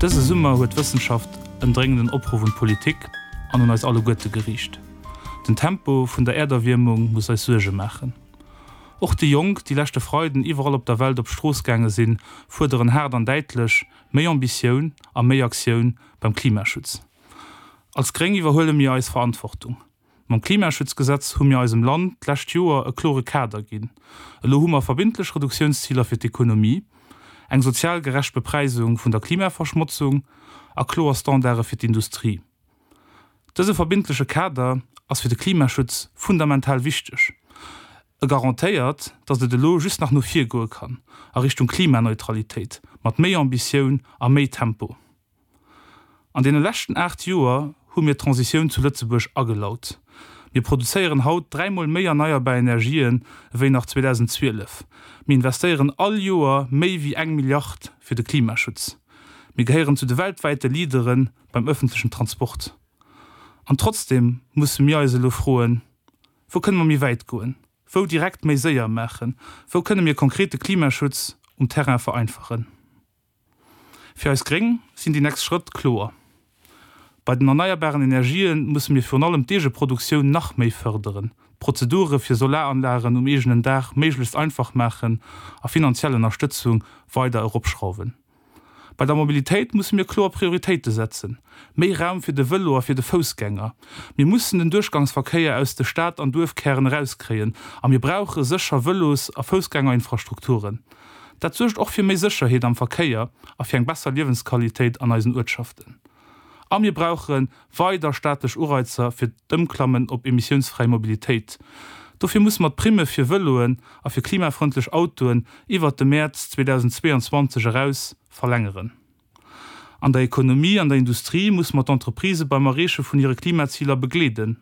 Dëse Summer huet d'Wëssenschaft en dréngenden Opruff un d'Politik an un eis alleguerte geriicht. Den Tempo vun der Äerderwiermung muss eis Suerge maachen. Och déi Jonk, déi leschte Freiden iwwerall op der Welt op d'Strooss gaange sinn, fuerderen haart an däitlech méi Ambitioun a méi Aktioun beim Klimaschutz. Als Gréng iwwerhuele mir eis Verantwortung. Mam Klimaschutzgesetz hu mir eisem Land d'lescht Joer e klore Kader ginn. Elo hu mer verbindlech Reduktiounsziler fir d'Ekonomie, eng sozial gerecht Bepräisung vun der Klimaverschmotzung a kloer Standarde fir d'Industrie. Dëse verbindleche Kader ass fir de Klimaschutz fundamental wichteg. E garantéiert, datt et elo just nach no vir goe kann, a Richtung Klimaneutralitéit, mat méi Ambitioun a méi Tempo. An deene leschten 8 Joer hu mir d'Transitioun zu Lëtzebuerg agelaut. Mir produzéieren haut dräimol méi erneierbar Energien ewéi nach 2012. Mir investéieren all Joer méi wéi eng Milliard fir de Klimaschutz. Mir gehéieren zu de weltwäite Leadere beim ëffentlechen Transport. An trotzdeem musse mir eis elo froen, Wou kënne mer méi wäit goen? Wou direkt méi séier maachen? Wou kënne mir konkret de Klimaschutz um Terrain vereinfachen? Fir eis Gréng sinn déi nächst Schrëtt kloer. Bei den erneierbaren Energië musse mir virun allem d'Eegeproduktioun nach méi fërderen, d'Prozedure fir Solaranlagen um eegenen Daach méiglechst einfach maachen a finanziell Ënnerstëtzung weider eropschrauwen. Bei der Mobilitéit musse mir kloer Prioritéite setzen, méi Raum fir de Vëlo a fir de Foussgänger. Mir mussen den Duerchgangsverkéier aus de Stad an Duerfkären erauskréien a mir brauche sécher Vëlos a Foussgängerinfrastrukturen. Dat suergt och fir méi Sécherheet am Verkéier a fir eng besser Liewensqualitéit an eisen Uertschaften. A mir brauche weider staatlech Ureizer fir d'Ëmklammen op emissiounsfräi Mobilitéit. Dofir musse mer d'Primme fir Vëloen a fir klimafrëndlech Autoen iwwert de Mäerz 2022 eraus verlängeren. An der Ekonomie an der Industrie musse mer d'Entreprisë beim Erreeche vun hire Klimaziler begleeden.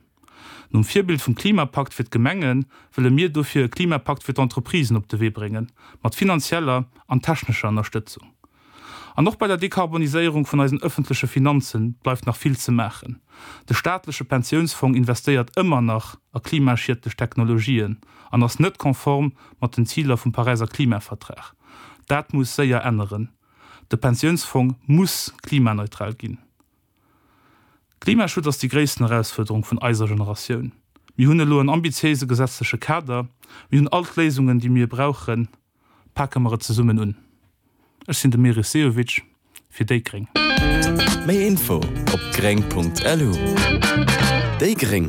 Nom Virbild vum Klimapakt fir d'Gemenge wëlle mir dofir e Klimapakt fir d'Entreprisen op de Wee bréngen, mat finanzieller an technescher Ënnerstëtzung. An och bei der Dekarboniséierung vun eisen ëffentleche Finanze bleift nach vill ze maachen. De staatleche Pensiounsfong investéiert ëmmer nach a klimaschiedlech Technologien an ass net konform mat den Ziler vum Paräiser Klimavertrag. Dat muss séier änneren. De Pensiounsfong muss klimaneutral ginn. Klimaschutz ass déi gréissten Erausfuerderung vun eiser Generatioun. Mir hunn elo en ambitiéise gesetzleche Kader, mir hunn all d'Léisungen, déi mir brauchen. Pake mer et zesummen un. Ech sinn de Meris Sehovic fir déi gréng. Méi Info op gréng.lu. Déi gréng.